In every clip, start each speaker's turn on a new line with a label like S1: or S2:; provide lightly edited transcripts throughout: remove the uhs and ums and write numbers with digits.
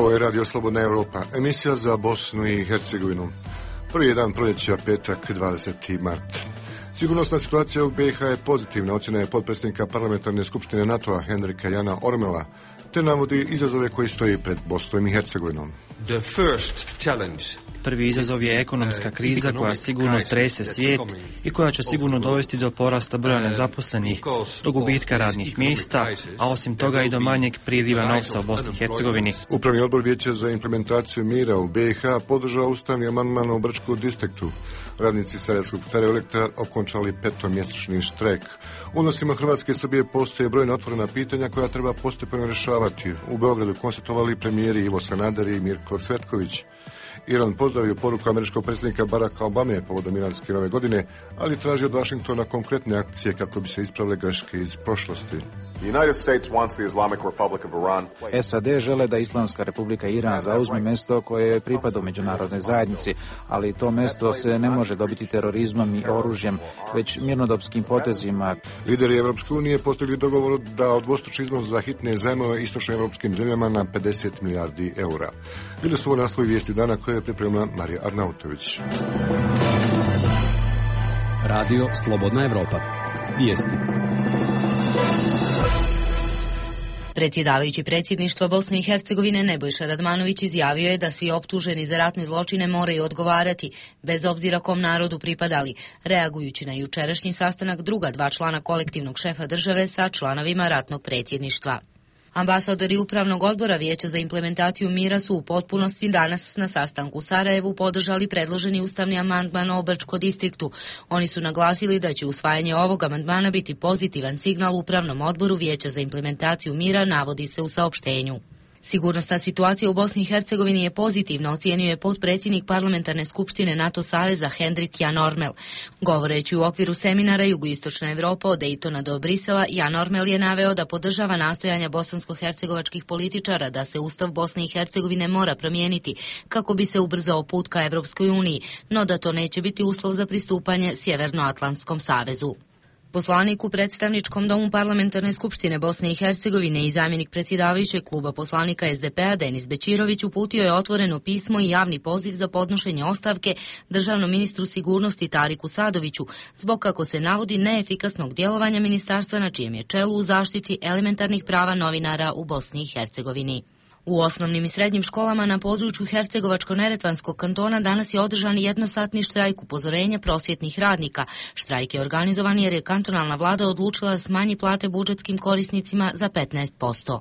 S1: Ovo je Radio Slobodna Europa, emisija za Bosnu i Hercegovinu. Prvi je dan proljeća, petak, 20. mart. Sigurnosna situacija u BiH je pozitivna, ocjena je potpredsjednika Parlamentarne skupštine NATO-a Henrika Jana Ormela, te navodi izazove koji stoji pred Bosnom i Hercegovinom.
S2: Prvi izazov je ekonomska kriza koja sigurno trese svijet i koja će sigurno dovesti do porasta broja nezaposlenih, do gubitka radnih mjesta, a osim toga i do manjeg priliva novca u Bosni i Hercegovini.
S1: Upravni odbor Vijeća za implementaciju mira u BiH podržao ustavni amandman u Brčkom distriktu. Radnici Sarajevskog Ferroelektra okončali 5-mjesečni štrajk. U odnosima Hrvatske i Srbije postoje brojna otvorena pitanja koja treba postepeno rješavati. U Beogradu konstatovali premijeri Ivo Sanader i Mirko Cvetković. Iran pozdravio poruku američkog predsjednika Baracka Obame povodom iranske nove godine, ali traži od Vašingtona konkretne akcije kako bi se ispravile greške iz prošlosti.
S3: SAD žele da Islamska republika Iran zauzme mjesto koje je pripada u međunarodnoj zajednici, ali to mjesto se ne može dobiti terorizmom i oružjem, već mirnodopskim potezima.
S1: Lideri Evropske unije postigli dogovor da odvostruče iznos za hitne zajmove istočnoevropskim zemljama na 50 milijardi eura. Bili su ovo naslovi vijesti dana koje je pripremila Marija Arnautović.
S4: Radio Slobodna Evropa. Vijesti.
S5: Predsjedavajući predsjedništva Bosne i Hercegovine Nebojša Radmanović izjavio je da svi optuženi za ratne zločine moraju odgovarati, bez obzira kom narodu pripadali, reagujući na jučerašnji sastanak druga dva člana kolektivnog šefa države sa članovima ratnog predsjedništva. Ambasadori Upravnog odbora Vijeća za implementaciju mira su u potpunosti danas na sastanku u Sarajevu podržali predloženi ustavni amandman o Brčkom distriktu. Oni su naglasili da će usvajanje ovog amandmana biti pozitivan signal Upravnom odboru Vijeća za implementaciju mira, navodi se u saopštenju. Sigurnosna situacija u Bosni i Hercegovini je pozitivna, ocijenio je potpredsjednik Parlamentarne skupštine NATO saveza Henrik Jan Ormel. Govoreći u okviru seminara Jugoistočna Evropa od Dejtona do Brisela, Jan Ormel je naveo da podržava nastojanja bosansko-hercegovačkih političara da se Ustav Bosne i Hercegovine mora promijeniti kako bi se ubrzao put ka Evropskoj uniji, no da to neće biti uslov za pristupanje Sjevernoatlantskom savezu. Poslanik u predstavničkom domu Parlamentarne skupštine Bosne i Hercegovine i zamjenik predsjedavajućeg kluba poslanika SDP-a Denis Bećirović uputio je otvoreno pismo i javni poziv za podnošenje ostavke državnom ministru sigurnosti Tariku Sadoviću zbog, kako se navodi, neefikasnog djelovanja ministarstva na čijem je čelu u zaštiti elementarnih prava novinara u Bosni i Hercegovini. U osnovnim i srednjim školama na području Hercegovačko-neretvanskog kantona danas je održan jednosatni štrajk upozorenja prosvjetnih radnika. Štrajk je organizovan jer je kantonalna vlada odlučila da smanji plate budžetskim korisnicima za 15%.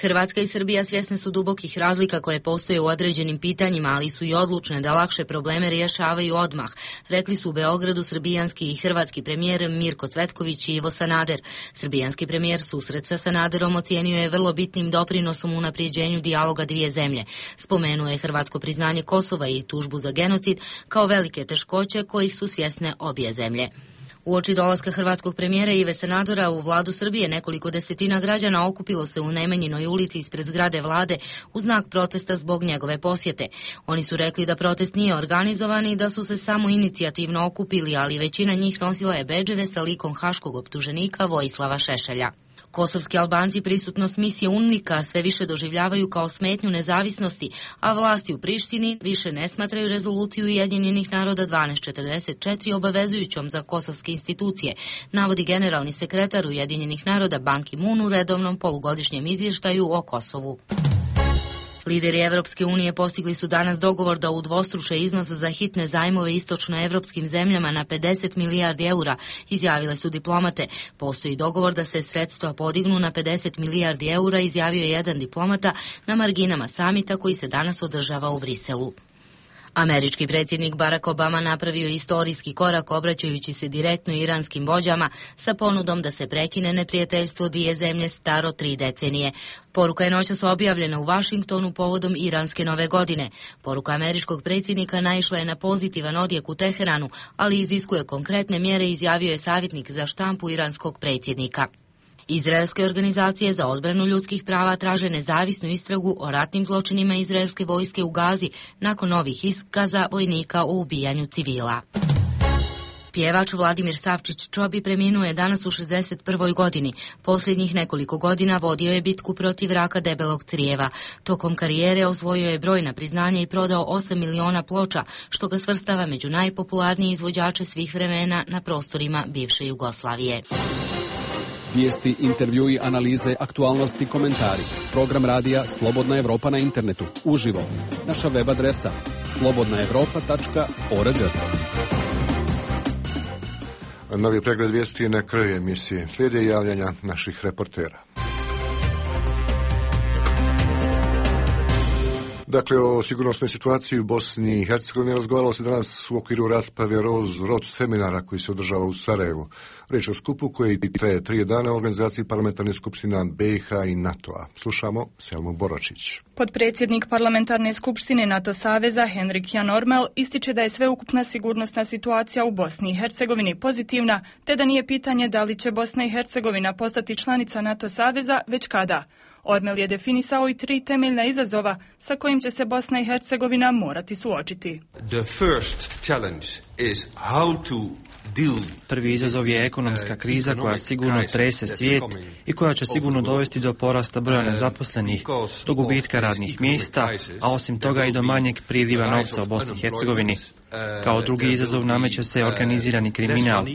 S5: Hrvatska i Srbija svjesne su dubokih razlika koje postoje u određenim pitanjima, ali su i odlučne da lakše probleme rješavaju odmah, rekli su u Beogradu srbijanski i hrvatski premijer Mirko Cvetković i Ivo Sanader. Srbijanski premijer susret sa Sanaderom ocijenio je vrlo bitnim doprinosom u unaprijeđenju dijaloga dvije zemlje. Spomenuo je hrvatsko priznanje Kosova i tužbu za genocid kao velike teškoće kojih su svjesne obje zemlje. Uoči dolaska hrvatskog premijera Ive Sanadera u vladu Srbije nekoliko desetina građana okupilo se u Nemanjinoj ulici ispred zgrade vlade u znak protesta zbog njegove posjete. Oni su rekli da protest nije organizovan i da su se samo inicijativno okupili, ali većina njih nosila je bedževe sa likom haškog optuženika Vojislava Šešelja. Kosovski Albanci prisutnost misije UNMIK-a sve više doživljavaju kao smetnju nezavisnosti, a vlasti u Prištini više ne smatraju rezoluciju Ujedinjenih naroda 1244 obavezujućom za kosovske institucije, navodi generalni sekretar Ujedinjenih naroda Ban Ki-moon u redovnom polugodišnjem izvještaju o Kosovu. Lideri Evropske unije postigli su danas dogovor da udvostruče iznos za hitne zajmove istočnoevropskim zemljama na 50 milijardi eura, izjavile su diplomate. Postoji dogovor da se sredstva podignu na 50 milijardi eura, izjavio je jedan diplomata na marginama samita koji se danas održava u Briselu. Američki predsjednik Barack Obama napravio istorijski korak obraćajući se direktno iranskim vođama sa ponudom da se prekine neprijateljstvo dvije zemlje staro 3 decenije. Poruka je noćas objavljena u Vašingtonu povodom iranske nove godine. Poruka američkog predsjednika naišla je na pozitivan odjek u Teheranu, ali iziskuje konkretne mjere, izjavio je savjetnik za štampu iranskog predsjednika. Izraelske organizacije za odbranu ljudskih prava traže nezavisnu istragu o ratnim zločinima izraelske vojske u Gazi nakon novih iskaza vojnika o ubijanju civila. Pjevač Vladimir Savčić-Čobi preminuo je danas u 61. godini. Posljednjih nekoliko godina vodio je bitku protiv raka debelog crijeva. Tokom karijere osvojio je brojna priznanja i prodao 8 miliona ploča, što ga svrstava među najpopularnije izvođače svih vremena na prostorima bivše Jugoslavije.
S4: Vijesti, intervjui, analize, aktualnosti, komentari. Program radija Slobodna Evropa na internetu. Uživo. Naša web adresa slobodnaevropa.org.
S1: Novi pregled vijesti na kraju emisije. Slijede javljanja naših reportera. Dakle, o sigurnosnoj situaciji u Bosni i Hercegovini razgovaralo se danas u okviru rasprave Rot seminara koji se održava u Sarajevu. Riječ o skupu koji traje 3 dana u organizaciji parlamentarne skupština BiH i NATO-a. Slušamo Selmu Boračić.
S6: Potpredsjednik parlamentarne skupštine NATO saveza Henrik Jan Ormel ističe da je sveukupna sigurnosna situacija u Bosni i Hercegovini pozitivna, te da nije pitanje da li će Bosna i Hercegovina postati članica NATO saveza, već kada. Ormel je definisao i 3 temeljna izazova sa kojim će se Bosna i Hercegovina morati suočiti.
S2: Prvi izazov je ekonomska kriza koja sigurno trese svijet i koja će sigurno dovesti do porasta broja nezaposlenih, do gubitka radnih mjesta, a osim toga i do manjeg priliva novca u Bosni i Hercegovini. Kao drugi izazov nameće se organizirani kriminal.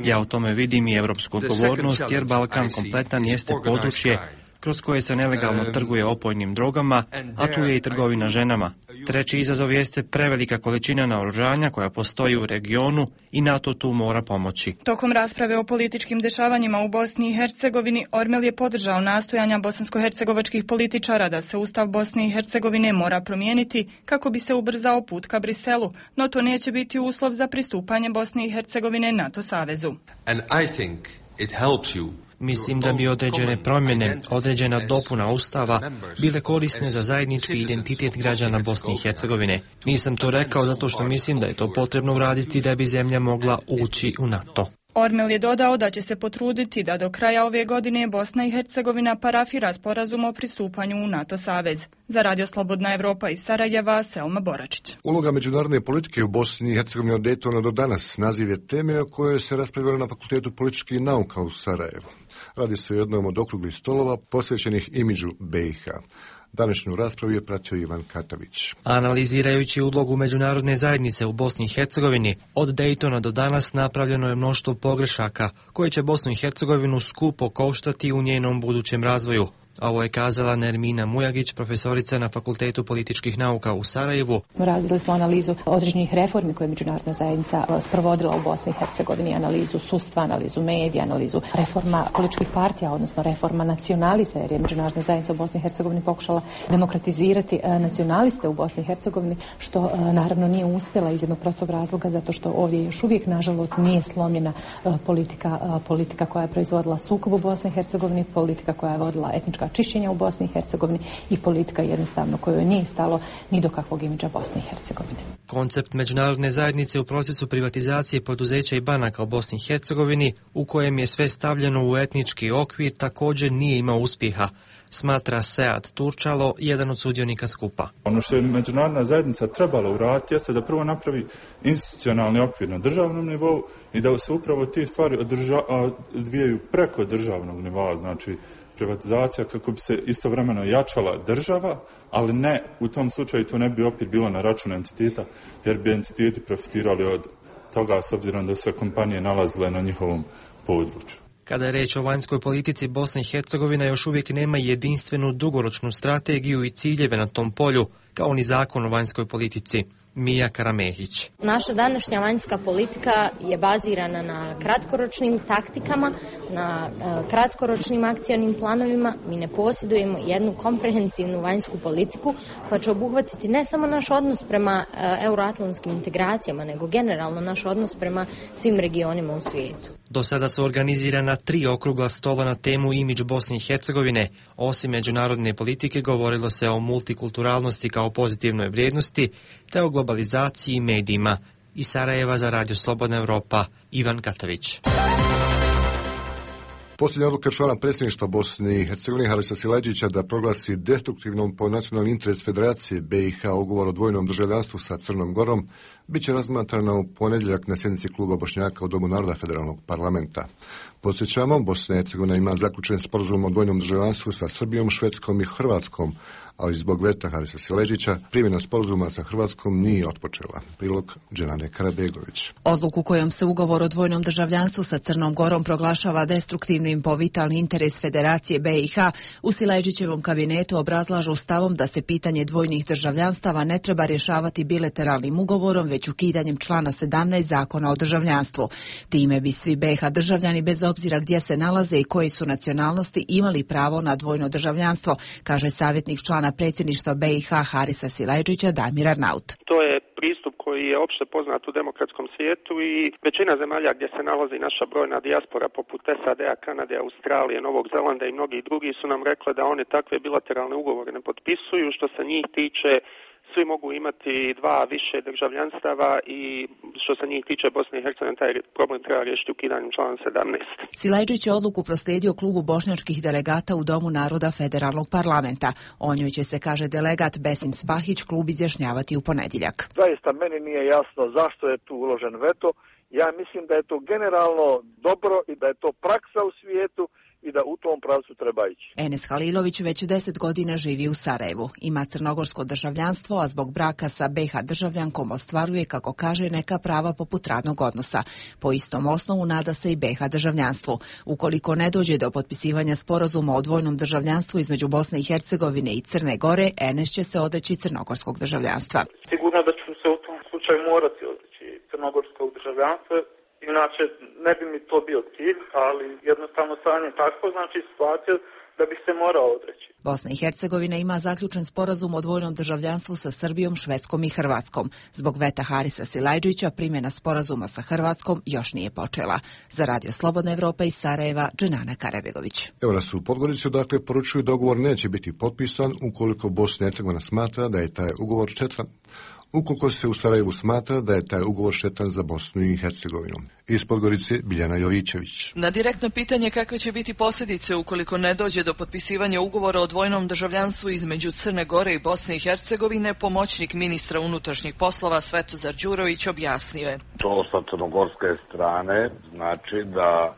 S2: Ja u tome vidim i evropsku odgovornost jer Balkan kompletan jeste područje kroz koje se nelegalno trguje opojnim drogama, a tu je i trgovina ženama. Treći izazov jeste prevelika količina naoružanja koja postoji u regionu i NATO tu mora pomoći.
S6: Tokom rasprave o političkim dešavanjima u Bosni i Hercegovini, Ormel je podržao nastojanja bosansko-hercegovačkih političara da se Ustav Bosne i Hercegovine mora promijeniti kako bi se ubrzao put ka Briselu, no to neće biti uslov za pristupanje Bosne i Hercegovine NATO savezu.
S2: Mislim da bi određene promjene, određena dopuna Ustava bile korisne za zajednički identitet građana Bosne i Hercegovine. Nisam to rekao zato što mislim da je to potrebno uraditi da bi zemlja mogla ući u NATO.
S6: Ormel je dodao da će se potruditi da do kraja ove godine Bosna i Hercegovina parafira sporazum o pristupanju u NATO savez. Za Radio Slobodna Evropa iz Sarajeva, Selma Boračić.
S1: Uloga međunarodne politike u Bosni i Hercegovini od Daytona do danas naziv je teme o kojoj se raspravljalo na Fakultetu političkih nauka u Sarajevu. Radi se o jednom od okruglih stolova posvećenih imidžu BiH. Današnju raspravu je pratio Ivan Katavić.
S2: Analizirajući ulogu međunarodne zajednice u Bosni i Hercegovini, od Daytona do danas napravljeno je mnoštvo pogrešaka koje će Bosnu i Hercegovinu skupo koštati u njenom budućem razvoju. Ovo je kazala Nermina Mujagić, profesorica na Fakultetu političkih nauka u Sarajevu.
S7: Radili smo analizu određenih reformi koje je međunarodna zajednica sprovodila u Bosni i Hercegovini, analizu sudstva, analizu medija, analizu reforma političkih partija, odnosno reforma nacionalista, jer je međunarodna zajednica u Bosni i Hercegovini pokušala demokratizirati nacionaliste u Bosni i Hercegovini, što naravno nije uspjela iz jednog prostog razloga, zato što ovdje još uvijek, nažalost, nije slomljena politika koja je proizvodila sukob u Bosni i Hercegovini, politika koja je vodila etnička čišćenja u Bosni i Hercegovini i politika jednostavno kojoj nije stalo ni do kakvog imidža Bosne i Hercegovine.
S2: Koncept međunarodne zajednice u procesu privatizacije poduzeća i banaka u Bosni i Hercegovini, u kojem je sve stavljeno u etnički okvir, također nije imao uspjeha, smatra Sead Turčalo, jedan od sudionika skupa.
S8: Ono što je međunarodna zajednica trebala uraditi jeste da prvo napravi institucionalni okvir na državnom nivou i da se upravo te stvari odvijaju preko državnog nivoa, znači privatizacija kako bi se istovremeno jačala država, ali ne, u tom slučaju to ne bi opet bilo na račun entiteta, jer bi entiteti profitirali od toga s obzirom da se kompanije nalazile na njihovom području.
S2: Kada je reč o vanjskoj politici, Bosna i Hercegovina još uvijek nema jedinstvenu dugoročnu strategiju i ciljeve na tom polju, kao ni zakon o vanjskoj politici. Mija Karamehić.
S9: Naša današnja vanjska politika je bazirana na kratkoročnim taktikama, na kratkoročnim akcionim planovima. Mi ne posjedujemo jednu komprehensivnu vanjsku politiku koja će obuhvatiti ne samo naš odnos prema euroatlantskim integracijama, nego generalno naš odnos prema svim regionima u svijetu.
S2: Do sada su organizirana 3 okrugla stola na temu imidž Bosne i Hercegovine. Osim međunarodne politike govorilo se o multikulturalnosti kao pozitivnoj vrijednosti, te o globalizaciji i medijima. Iz Sarajeva za Radio Slobodna Evropa, Ivan Katavić.
S1: Posljednja odluka člana predsjedništva Bosne i Hercegovine Harisa Silajdžića da proglasi destruktivnom po nacionalni interes Federacije BiH ugovor o dvojnom državljanstvu sa Crnom Gorom biće razmatrana u ponedjeljak na sjednici kluba Bošnjaka u Domu naroda Federalnog parlamenta. Podsjećamo, Bosna i Hercegovina ima zaključen sporazum o dvojnom državljanstvu sa Srbijom, Švedskom i Hrvatskom, ali zbog veta Harisa Sileđića primjena sporazuma sa Hrvatskom nije otpočela. Prilog Dženane Karabegović.
S10: Odluku kojom se ugovor o dvojnom državljanstvu sa Crnom Gorom proglašava destruktivnim po vitalni interes Federacije BiH, u Sileđićevom kabinetu obrazlažu stavom da se pitanje dvojnih državljanstava ne treba rješavati bilateralnim ugovorom, već ukidanjem člana 17 Zakona o državljanstvu. Time bi svi BiH državljani, bez obzira gdje se nalaze i koji su nacionalnosti, imali pravo na dvojno državljanstvo, kaže savjetnik člana predsjedništva BiH Harisa Sileđića Damir Arnaut.
S11: To je pristup koji je opšte poznat u demokratskom svijetu i većina zemalja gdje se nalazi naša brojna dijaspora poput SAD-a, Kanade, Australije, Novog Zelanda i mnogi drugi su nam rekli da oni takve bilateralne ugovore ne potpisuju. Što se njih tiče, svi mogu imati dva više državljanstava i što se njih tiče Bosne i Hercegovine, taj problem treba riješiti ukidanjem člana 17.
S10: Sileđić je odluku proslijedio klubu bošnjačkih delegata u Domu naroda Federalnog parlamenta. O njoj će se, kaže delegat Besim Spahić, klub izjašnjavati u ponedjeljak.
S12: Zaista meni nije jasno zašto je tu uložen veto. Ja mislim da je to generalno dobro i da je to praksa u svijetu i da u tom pravcu treba ići.
S10: Enes Halilović već 10 godina živi u Sarajevu. Ima crnogorsko državljanstvo, a zbog braka sa BiH državljankom ostvaruje, kako kaže, neka prava poput radnog odnosa. Po istom osnovu nada se i BiH državljanstvu. Ukoliko ne dođe do potpisivanja sporazuma o dvojnom državljanstvu između Bosne i Hercegovine i Crne Gore, Enes će se odreći crnogorskog državljanstva.
S13: Sigurno da ću se u tom slučaju morati odreći crnogorskog državljanstva. Inače, ne bi mi to bio cilj, ali jednostavno stanje takvo, znači situacija da bi se morao odreći.
S10: Bosna i Hercegovina ima zaključen sporazum o dvojnom državljanstvu sa Srbijom, Švedskom i Hrvatskom. Zbog veta Harisa Sileđića primjena sporazuma sa Hrvatskom još nije počela. Za Radio Slobodna Evropa iz Sarajeva, Dženana Karabegović.
S1: Evo nas u Podgorici, odakle poručuju da ugovor neće biti potpisan ukoliko Bosna i Hercegovina smatra da je taj ugovor štetan. Ukoliko se u Sarajevu smatra da je taj ugovor štetan za Bosnu i Hercegovinu. Iz Podgorice Biljana Jovićević.
S14: Na direktno pitanje kakve će biti posljedice ukoliko ne dođe do potpisivanja ugovora o dvojnom državljanstvu između Crne Gore i Bosne i Hercegovine, pomoćnik ministra unutrašnjih poslova Svetozar Đurović objasnio je.
S15: To sa crnogorske strane znači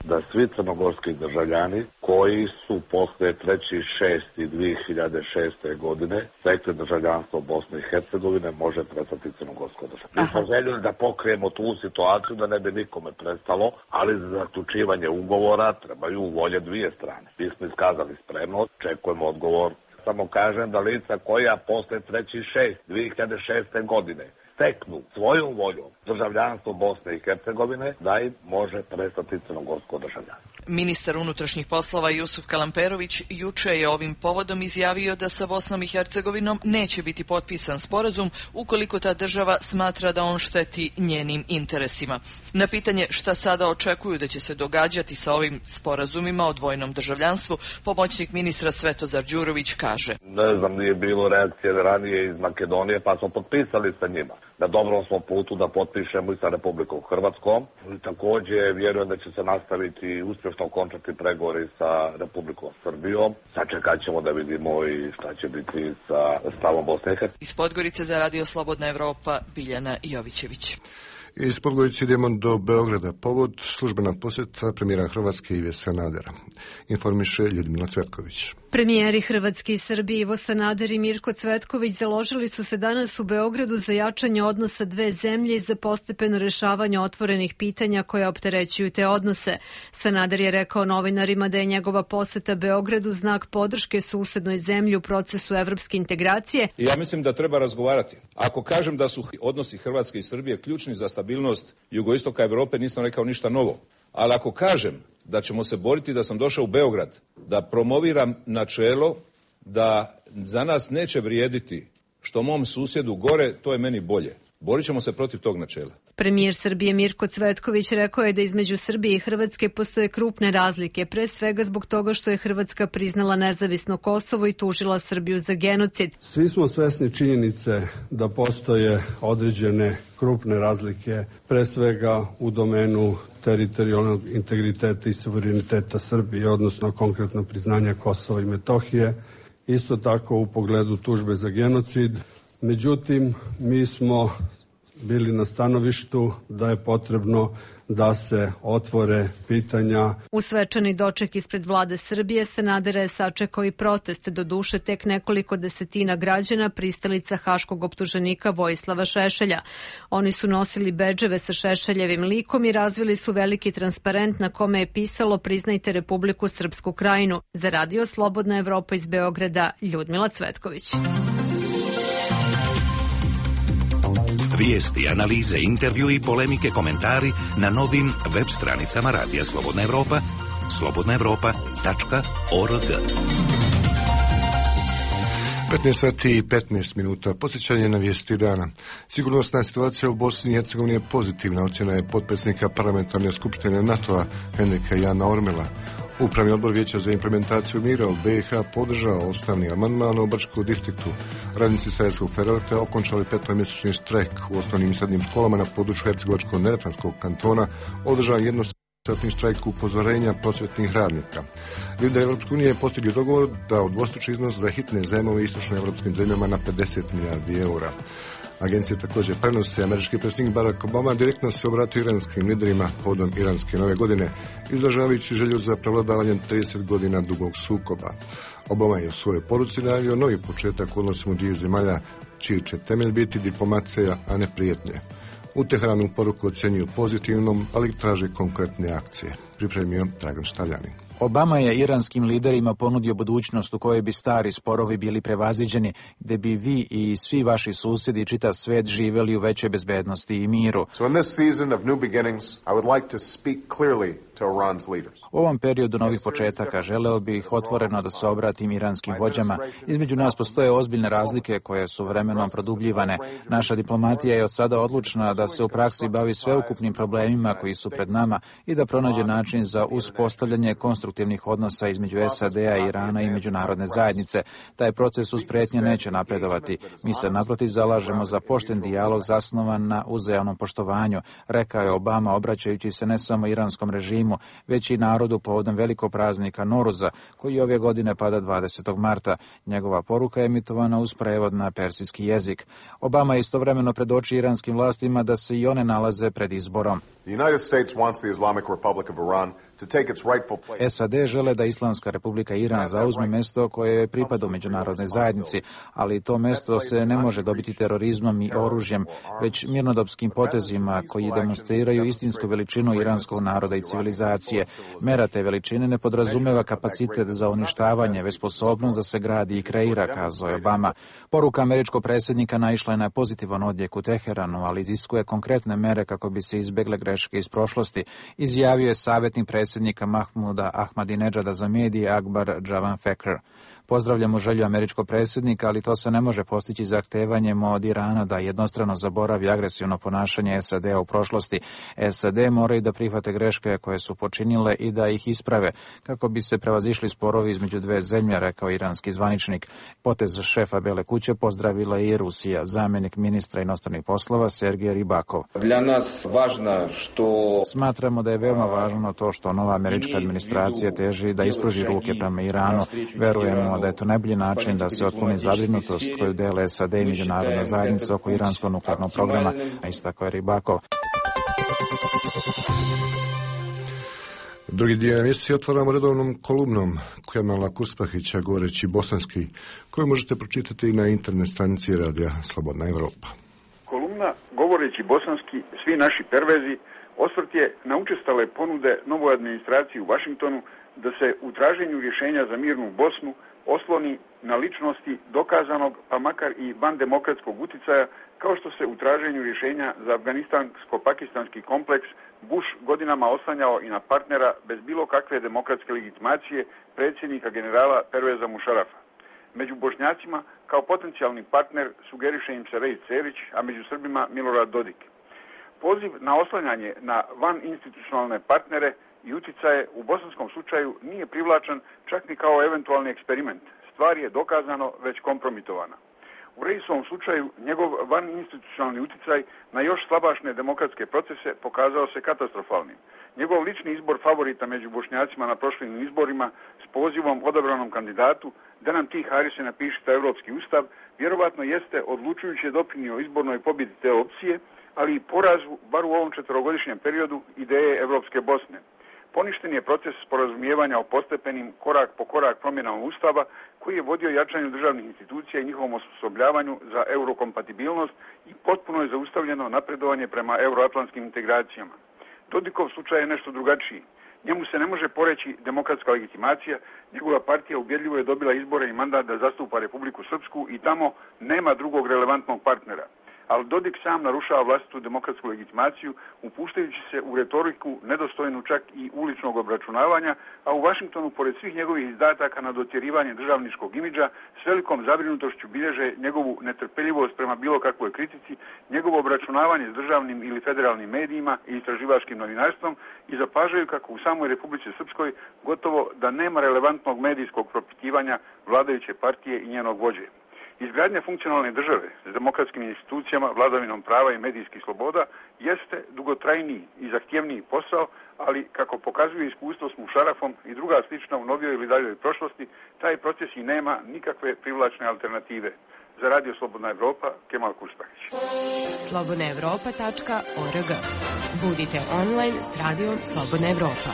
S15: da svi crnogorski državljani koji su posle 3.6.2006. godine stekli državljanstvo Bosne i Hercegovine može prestati crnogorsko državljanstvo. Mi smo željeli da pokrijemo tu situaciju da ne bi nikome prestalo, ali za zaključivanje ugovora trebaju volje dvije strane. Mi smo iskazali spremnost, čekujemo odgovor. Samo kažem da lica koja posle 3.6.2006. godine steknu svojom voljom državljanstvo Bosne i Hercegovine, da im može prestati crnogorsko državljanstvo.
S14: Ministar unutrašnjih poslova Jusuf Kalamperović juče je ovim povodom izjavio da sa Bosnom i Hercegovinom neće biti potpisan sporazum ukoliko ta država smatra da on šteti njenim interesima. Na pitanje šta sada očekuju da će se događati sa ovim sporazumima o dvojnom državljanstvu, pomoćnik ministra Svetozar Đurović kaže.
S15: Ne znam, nije bilo reakcije ranije iz Makedonije, pa smo potpisali sa njima. Na dobrom smo putu da potpišemo i sa Republikom Hrvatskom. I također vjerujem da će se nastaviti uspješno končati pregovori sa Republikom Srbijom. Sačekat ćemo da vidimo i šta će biti sa stavom Bosne i Hercegovine.
S14: Iz Podgorice za Radio Slobodna Evropa, Biljana Jovićević.
S1: Iz Podgorice idemo do Beograda. Povod službena posjeta premijera Hrvatske Ive Sanadera. Informiše Ljudmila Cvetković.
S16: Premijeri Hrvatske i Srbije Ivo Sanader i Mirko Cvetković založili su se danas u Beogradu za jačanje odnosa dve zemlje i za postepeno rješavanje otvorenih pitanja koje opterećuju te odnose. Sanader je rekao novinarima da je njegova posjeta Beogradu znak podrške susednoj zemlji u procesu evropske integracije.
S17: Ja mislim da treba razgovarati. Ako kažem da su odnosi Hrvatske i Srbije ključni za stabilnost jugoistoka Europe, nisam rekao ništa novo. Ali ako kažem da ćemo se boriti, da sam došao u Beograd, da promoviram načelo da za nas neće vrijediti što mom susjedu gore, to je meni bolje. Borit ćemo se protiv tog načela.
S16: Premijer Srbije Mirko Cvetković rekao je da između Srbije i Hrvatske postoje krupne razlike, pre svega zbog toga što je Hrvatska priznala nezavisno Kosovo i tužila Srbiju za genocid.
S18: Svi smo svesni činjenice da postoje određene krupne razlike, pre svega u domenu teritorijalnog integriteta i suvereniteta Srbije, odnosno konkretno priznanja Kosova i Metohije, isto tako u pogledu tužbe za genocid. Međutim, mi smo bili na stanovištu da je potrebno da se otvore pitanja.
S16: U svečani doček ispred vlade Srbije Sanadera je sačekao i protest, doduše tek nekoliko desetina građana pristalica haškog optuženika Vojislava Šešelja. Oni su nosili bedževe sa Šešeljevim likom i razvili su veliki transparent na kome je pisalo "Priznajte Republiku Srpsku Krajinu". Za radio Slobodna Evropa iz Beograda, Ljudmila Cvetković.
S19: Vijesti, analize, intervjui, polemike, komentari na novim web stranicama Radija Slobodna Evropa, slobodnaevropa.org.
S1: 15 sati i 15 minuta. Podsjećanje na vijesti dana. Sigurnosna situacija u Bosni i Hercegovini je pozitivna, ocjena je potpredsjednika parlamentarne skupštine NATO-a Henrika Jana Ormela. Upravni odbor Vijeća za implementaciju mira u BiH podržao ustavni amandman o Brčkom distriktu. Radnici Sarajevskog Ferroelektra okončali 5-mjesečni štrajk u osnovnim i srednjim školama na području Hercegovačko-neretvanskog kantona, održan jednosatni štrajk upozorenja prosvjetnih radnika. Lideri Europske unije postigli dogovor da udvostruči iznos za hitne zajmove istočnoevropskim zemljama na 50 milijardi eura. Agencije također prenose američki predsjednik Barack Obama direktno se obratio iranskim liderima povodom iranske nove godine, izražavajući želju za prevladavanjem 30 godina dugog sukoba. Obama je u svojoj poruci najavio novi početak u odnosima dviju zemalja, čiji će temelj biti diplomacija, a ne prijetnje. U Teheranu poruku ocjenjuju pozitivnom, ali traže konkretne akcije. Pripremio Dragan Štaljani.
S3: Obama je iranskim liderima ponudio budućnost u kojoj bi stari sporovi bili prevaziđeni, gdje bi vi i svi vaši susjedi i čitav svet živjeli u većoj bezbednosti i miru. U ovom periodu novih početaka želeo bih otvoreno da se obratim iranskim vođama. Između nas postoje ozbiljne razlike koje su vremenom produbljivane. Naša diplomatija je od sada odlučna da se u praksi bavi sveukupnim problemima koji su pred nama i da pronađe način za uspostavljanje konstruktivnih odnosa između SAD-a, Irana i međunarodne zajednice. Taj proces uz prijetnje neće napredovati. Mi se naprotiv zalažemo za pošten dijalog zasnovan na uzajamnom poštovanju, rekao je Obama obraćajući se ne samo iranskom režimu, već i narodu povodom velikog praznika Noruza, koji ove godine pada 20. marta. Njegova poruka je emitovana uz prevod na persijski jezik. Obama je istovremeno predočio iranskim vlastima da se i one nalaze pred izborom. SAD žele da Islamska Republika Iran zauzme mjesto koje je pripada u međunarodnoj zajednici, ali to mjesto se ne može dobiti terorizmom i oružjem, već mirnodopskim potezima koji demonstriraju istinsku veličinu iranskog naroda i civilizacije. Mera te veličine ne podrazumeva kapacitet za uništavanje, već sposobnost da se gradi i kreira, kazao je Obama. Poruka američkog predsjednika naišla je na pozitivan odjek u Teheranu, ali iziskuje konkretne mere kako bi se izbjegle greške iz prošlosti, izjavio je savjetnik predsjednika Mahmuda Ahmadinedžada za medije Akbar Javan Fekr. Pozdravljamo želju američkog predsjednika, ali to se ne može postići zahtevanjem od Irana da jednostrano zaboravi agresivno ponašanje SAD-a u prošlosti. SAD moraju da prihvate greške koje su počinile i da ih isprave, kako bi se prevazišli sporovi između dve zemlje, rekao iranski zvaničnik. Potez šefa Bele kuće pozdravila i Rusija. Zamjenik ministra inostranih poslova Sergej Ribakov. Smatramo da je veoma važno to što nova američka administracija teži da ispruži ruke prema Iranu. Verujemo da je to najbolji način da se otkloni zabrinutost koju dele SAD i međunarodna zajednica oko iranskog nuklearnog programa, a istakao je Ribakov.
S1: Drugi dio emisije otvaramo redovnom kolumnom Kemala Kuspahića govoreći bosanski, koju možete pročitati na internet stranici Radija Slobodna Evropa.
S20: Kolumna govoreći bosanski, svi naši pervezi, osvrt je na učestale ponude novoj administraciji u Vašingtonu da se u traženju rješenja za mirnu Bosnu osloni na ličnosti dokazanog, pa makar i vandemokratskog uticaja, kao što se u traženju rješenja za afganistansko-pakistanski kompleks Bush godinama oslanjao i na partnera bez bilo kakve demokratske legitimacije predsjednika generala Perveza Mušarafa. Među Bošnjacima kao potencijalni partner sugeriše im se Rej Cerić, a među Srbima Milorad Dodik. Poziv na oslanjanje na vaninstitucionalne partnere i uticaje u bosanskom slučaju nije privlačan čak ni kao eventualni eksperiment. Stvar je dokazano već kompromitovana. U Rejisovom slučaju njegov vaninstitucionalni uticaj na još slabašne demokratske procese pokazao se katastrofalnim. Njegov lični izbor favorita među Bošnjacima na prošlim izborima s pozivom odabranom kandidatu da nam ti Harise napišite Europski ustav vjerovatno jeste odlučujuće doprinio izbornoj pobjedi te opcije, ali i porazu, bar u ovom 4-godišnjem periodu, ideje Evropske Bosne. Poništen je proces sporazumijevanja o postepenim, korak po korak promjenama Ustava, koji je vodio jačanju državnih institucija i njihovom osposobljavanju za eurokompatibilnost i potpuno je zaustavljeno napredovanje prema euroatlantskim integracijama. Dodikov slučaj je nešto drugačiji. Njemu se ne može poreći demokratska legitimacija, njegova partija ubjedljivo je dobila izbore i mandat da zastupa Republiku Srpsku i tamo nema drugog relevantnog partnera. Ali Dodik sam narušava vlastitu demokratsku legitimaciju, upuštajući se u retoriku nedostojnu čak i uličnog obračunavanja, a u Vašingtonu, pored svih njegovih izdataka na dotjerivanje državničkog imidža, s velikom zabrinutošću bilježe njegovu netrpeljivost prema bilo kakvoj kritici, njegovo obračunavanje s državnim ili federalnim medijima i istraživačkim novinarstvom i zapažaju kako u samoj Republici Srpskoj gotovo da nema relevantnog medijskog propitivanja vladajuće partije i njenog vođe. Izgradnja funkcionalne države s demokratskim institucijama, vladavinom prava i medijskih sloboda jeste dugotrajniji i zahtjevniji posao, ali kako pokazuje iskustvo s Mušarafom i druga slična u novijoj ili daljoj prošlosti, taj proces i nema nikakve privlačne alternative. Za Radio Slobodna Evropa, Kemal Kustahić.
S21: slobodnaevropa.org. Budite online s Radijom Slobodna Evropa.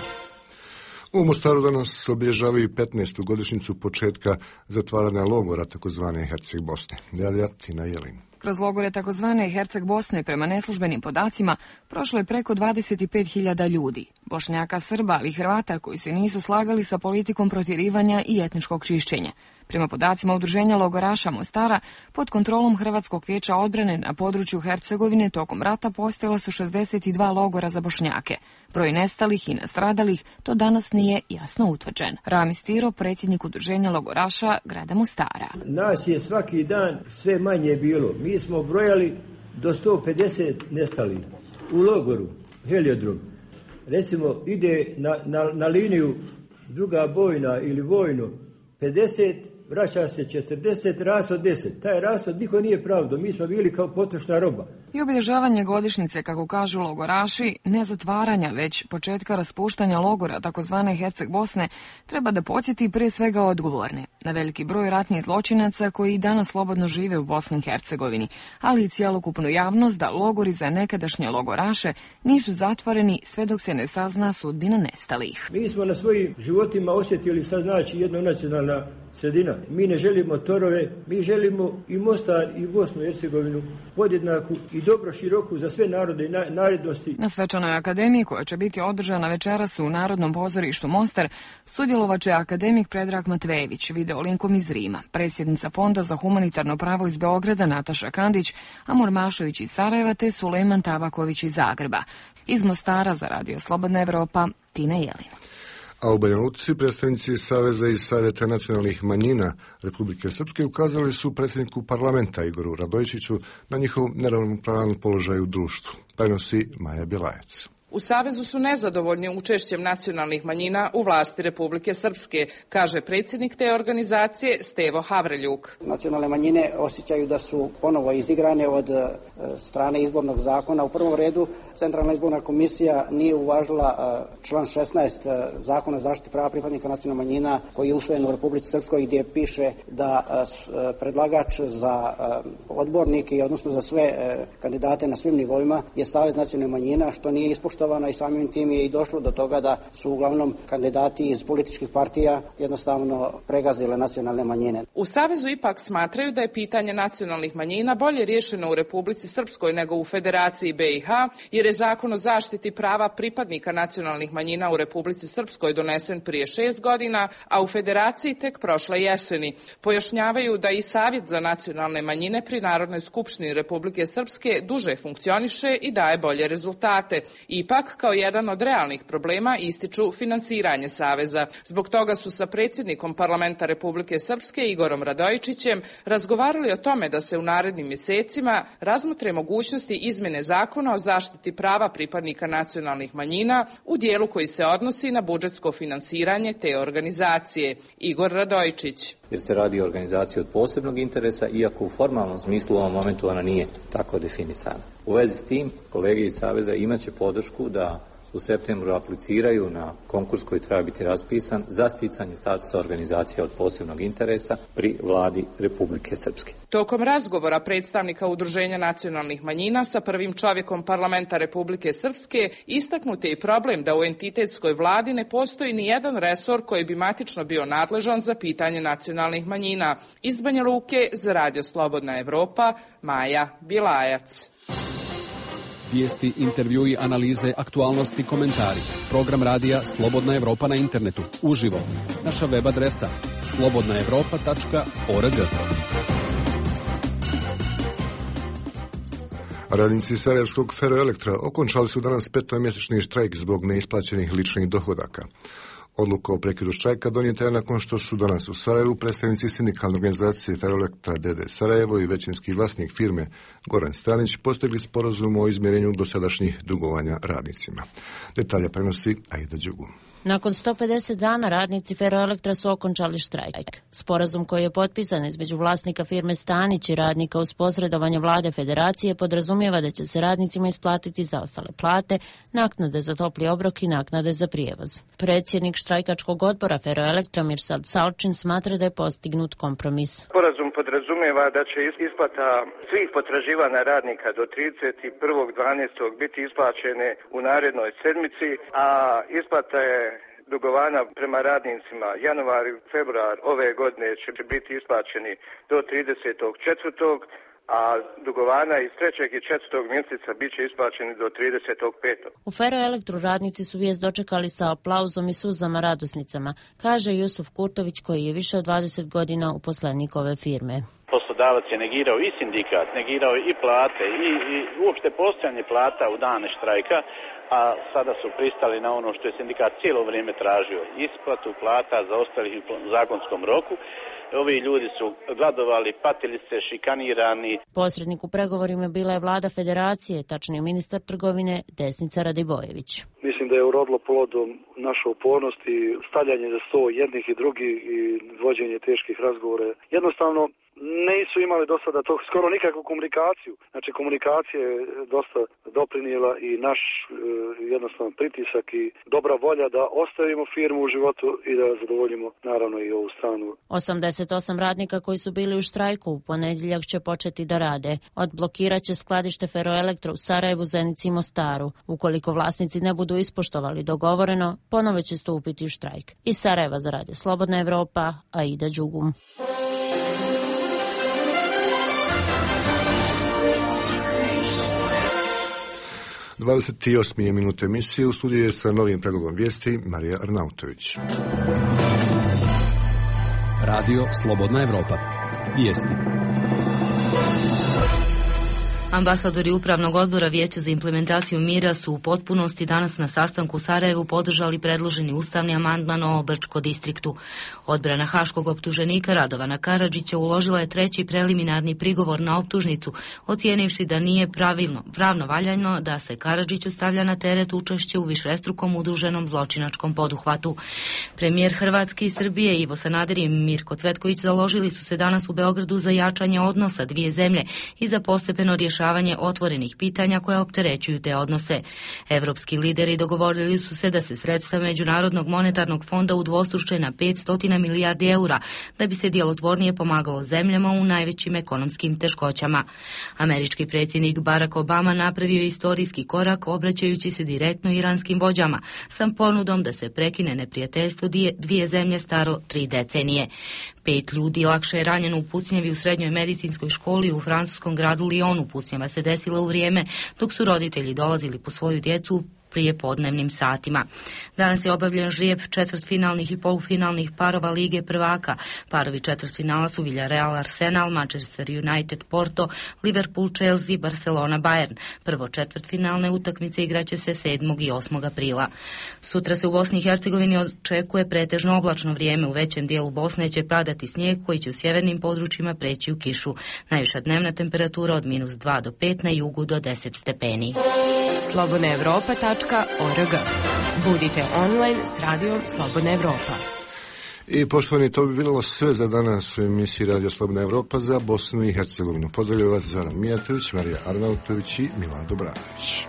S1: U Mostaru danas obilježavaju 15. godišnjicu početka zatvaranja logora takozvane Herceg Bosne. Delija Tina Jelin.
S22: Kroz logore takozvane Herceg Bosne, prema neslužbenim podacima, prošlo je preko 25.000 ljudi, Bošnjaka, Srba, ali i Hrvata koji se nisu slagali sa politikom protjerivanja i etničkog čišćenja. Prema podacima Udruženja logoraša Mostara, pod kontrolom Hrvatskog vijeća odbrane na području Hercegovine tokom rata postojala su 62 logora za Bošnjake. Broj nestalih i nastradalih to danas nije jasno utvrđen. Rami Stiro, predsjednik Udruženja logoraša grada Mostara.
S23: Nas je svaki dan sve manje bilo. Mi smo brojali do 150 nestalih u logoru Heliodrom. Recimo ide na liniju druga bojna ili vojno 50, vraća se 40, rashod 10. Taj rashod niko nije pravdo, mi smo bili kao potrošna roba.
S22: I obilježavanje godišnjice, kako kažu logoraši, ne zatvaranja, već početka raspuštanja logora takozvane Herceg Bosne, treba da podsjeti prije svega odgovorne na veliki broj ratnih zločinaca koji i danas slobodno žive u Bosni i Hercegovini, ali i cjelokupnu javnost da logori za nekadašnje logoraše nisu zatvoreni sve dok se ne sazna sudbina nestalih.
S23: Mi smo na svojim životima osjetili šta znači jednonacionalna sredina. Mi ne želimo torove, mi želimo i Mostar i Bosnu i Hercegovinu podjednaku i dobro široku za sve narode i narodnosti.
S22: Na svečanoj akademiji, koja će biti održana večeras u Narodnom pozorištu Mostar, sudjelovaće akademik Predrag Matvejević, video linkom iz Rima, predsjednica Fonda za humanitarno pravo iz Beograda Nataša Kandić, Amor Mašović iz Sarajeva te Sulejman Tabaković iz Zagreba. Iz Mostara za Radio Slobodna Evropa, Tina Jelin.
S1: A u Banja Luci predstavnici Saveza i Savjeta nacionalnih manjina Republike Srpske ukazali su predsjedniku parlamenta Igoru Radojičiću na njihov neravnopravan položaj u društvu. Prenosi Maja Bjelajac.
S24: U Savezu su nezadovoljni učešćem nacionalnih manjina u vlasti Republike Srpske, kaže predsjednik te organizacije Stevo Havreljuk.
S25: Nacionalne manjine osjećaju da su ponovo izigrane od strane izbornog zakona. U prvom redu Centralna izborna komisija nije uvažila član 16 Zakona o zaštiti prava pripadnika nacionalnih manjina koji je usvojen u Republici Srpskoj, gdje piše da predlagač za odbornike, odnosno za sve kandidate na svim nivoima je Savez nacionalnih manjina, što nije ispoštovano i samim tim je i došlo do toga da su uglavnom kandidati iz političkih partija jednostavno pregazile nacionalne manjine.
S24: U Savezu ipak smatraju da je pitanje nacionalnih manjina bolje riješeno u Republici Srpskoj nego u Federaciji BiH, jer je Zakon o zaštiti prava pripadnika nacionalnih manjina u Republici Srpskoj donesen prije 6 godina, a u Federaciji tek prošle jeseni. Pojašnjavaju da i Savjet za nacionalne manjine pri Narodnoj skupštini Republike Srpske duže funkcioniše i daje bolje rezultate. Ipak, kao jedan od realnih problema ističu finansiranje Saveza. Zbog toga su sa predsjednikom parlamenta Republike Srpske Igorom Radojičićem razgovarali o tome da se u narednim mjesecima razmotre mogućnosti izmjene Zakona o zaštiti prava pripadnika nacionalnih manjina u dijelu koji se odnosi na budžetsko finansiranje te organizacije. Igor Radojičić.
S26: Jer se radi o organizaciji od posebnog interesa, iako u formalnom smislu u ovom momentu ona nije tako definisana. U vezi s tim, kolege iz Saveza imaće podršku da u septembru apliciraju na konkurs koji treba biti raspisan za sticanje statusa organizacija od posebnog interesa pri vladi Republike Srpske.
S24: Tokom razgovora predstavnika Udruženja nacionalnih manjina sa prvim čovjekom parlamenta Republike Srpske istaknut je i problem da u entitetskoj vladi ne postoji ni jedan resor koji bi matično bio nadležan za pitanje nacionalnih manjina. Iz Banja Luke za Radio Slobodna Evropa, Maja Bilajac.
S4: Vijesti, intervjui, analize, aktualnosti, komentari. Program radija Slobodna Evropa na internetu. Uživo. Naša web adresa slobodnaevropa.org.
S1: Radnici Sarajevskog Feroelektra okončali su danas 5-mjesečni štrajk zbog neisplaćenih ličnih dohodaka. Odluka o prekidu štrajka donijeta je nakon što su danas u Sarajevu predstavnici sindikalne organizacije Feroelektra d.d. Sarajevo i većinski vlasnik firme Goran Stanić postigli sporazum o izmjerenju dosadašnjih dugovanja radnicima. Detalje prenosi Aida Đugu.
S5: Nakon 150 dana radnici Feroelektra su okončali štrajk. Sporazum koji je potpisan između vlasnika firme Stanić i radnika uz posredovanje vlade federacije podrazumijeva da će se radnicima isplatiti zaostale plate, naknade za topli obrok i naknade za prijevoz. Predsjednik štrajkačkog odbora Feroelektra Mirsad Salčin smatra da je postignut kompromis.
S6: Sporazum podrazumijeva da će isplata svih potraživanja radnika do 31.12. biti isplaćene u narednoj sedmici, a isplata je dugovanja prema radnicima januar i februar ove godine će biti isplaćeni do 30.4., a dugovanja iz 3. i 4. mjeseca bit će isplaćeni do 35.
S5: U Feroelektru radnici su vijest dočekali sa aplauzom i suzama radosnicama, kaže Jusuf Kurtović koji je više od 20 godina uposlenik ove firme.
S7: Poslodavac je negirao i sindikat, negirao i plate i uopšte postojanje plata u dane štrajka, a sada su pristali na ono što je sindikat cijelo vrijeme tražio, isplatu plata zaostalih u zakonskom roku. Ovi ljudi su gladovali, patili se, šikanirani.
S5: Posrednik u pregovorima bila je vlada federacije, tačnije ministar trgovine Desnica Radivojević.
S8: Mislim da je urodilo plodom naša upornost i stavljanje za sto jednih i drugih i vođenje teških razgovora. Jednostavno nisu imali do sada to skoro nikakvu komunikaciju. Znači komunikacija je dosta doprinijela i naš jednostavno pritisak i dobra volja da ostavimo firmu u životu i da zadovoljimo naravno i ovu stranu.
S5: 88 radnika koji su bili u štrajku u ponedjeljak će početi da rade. Odblokirat će skladište Feroelektra u Sarajevu, Zenici i Mostaru. Ukoliko vlasnici ne budu ispoštovali dogovoreno, ponovo će stupiti u štrajk. Iz Sarajeva za Radio Slobodna Evropa, Aida Đugum.
S1: – 28. minut emisije, u studiju je sa novim predlogom vijesti Marija Arnautović.
S4: Radio Slobodna Evropa. Vijesti.
S9: Ambasadori Upravnog odbora Vijeća za implementaciju mira su u potpunosti danas na sastanku u Sarajevu podržali predloženi ustavni amandman o Brčko distriktu. Odbrana haškog optuženika Radovana Karadžića uložila je 3. preliminarni prigovor na optužnicu, ocijenivši da nije pravno valjano da se Karadžiću stavlja na teret učešće u višestrukom udruženom zločinačkom poduhvatu. Premijer Hrvatske i Srbije Ivo Sanader i Mirko Cvetković založili su se danas u Beogradu za jačanje odnosa dvije zemlje i za postepeno rješavanje otvorenih pitanja koja opterećuju te odnose. Evropski lideri dogovorili su se da se sredstva Međunarodnog monetarnog fonda udvostruče na 500 milijardi eura, da bi se djelotvornije pomagalo zemljama u najvećim ekonomskim teškoćama. Američki predsjednik Barack Obama napravio je istorijski korak obraćajući se direktno iranskim vođama, sa ponudom da se prekine neprijateljstvo dvije zemlje staro 3 decenije. 5 ljudi lakše je ranjeno u pucnjavi u srednjoj medicinskoj školi u francuskom gradu Lyonu. Pucnjava se desila u vrijeme dok su roditelji dolazili po svoju djecu prije podnevnim satima. Danas je obavljen žrijeb četvrtfinalnih i polufinalnih parova Lige prvaka. Parovi četvrtfinala su Villarreal Arsenal, Manchester United Porto, Liverpool Chelsea, Barcelona Bayern. Prvo četvrtfinalne utakmice igraće se 7. i 8. aprila. Sutra se u Bosni i Hercegovini očekuje pretežno oblačno vrijeme. U većem dijelu Bosne će padati snijeg koji će u sjevernim područjima preći u kišu. Najviša dnevna temperatura od -2 do 5, na jugu do 10 stepeni.
S21: slobodnaevropa.org. Budite online s radijom Slobodna Evropa.
S1: I poštovani, to bi bilo sve za danas u emisiji Radio Slobodna Evropa za Bosnu i Hercegovinu. Pozdravljaju vas Zoran Mijatović, Marija Arnautović i Milan Dobranović.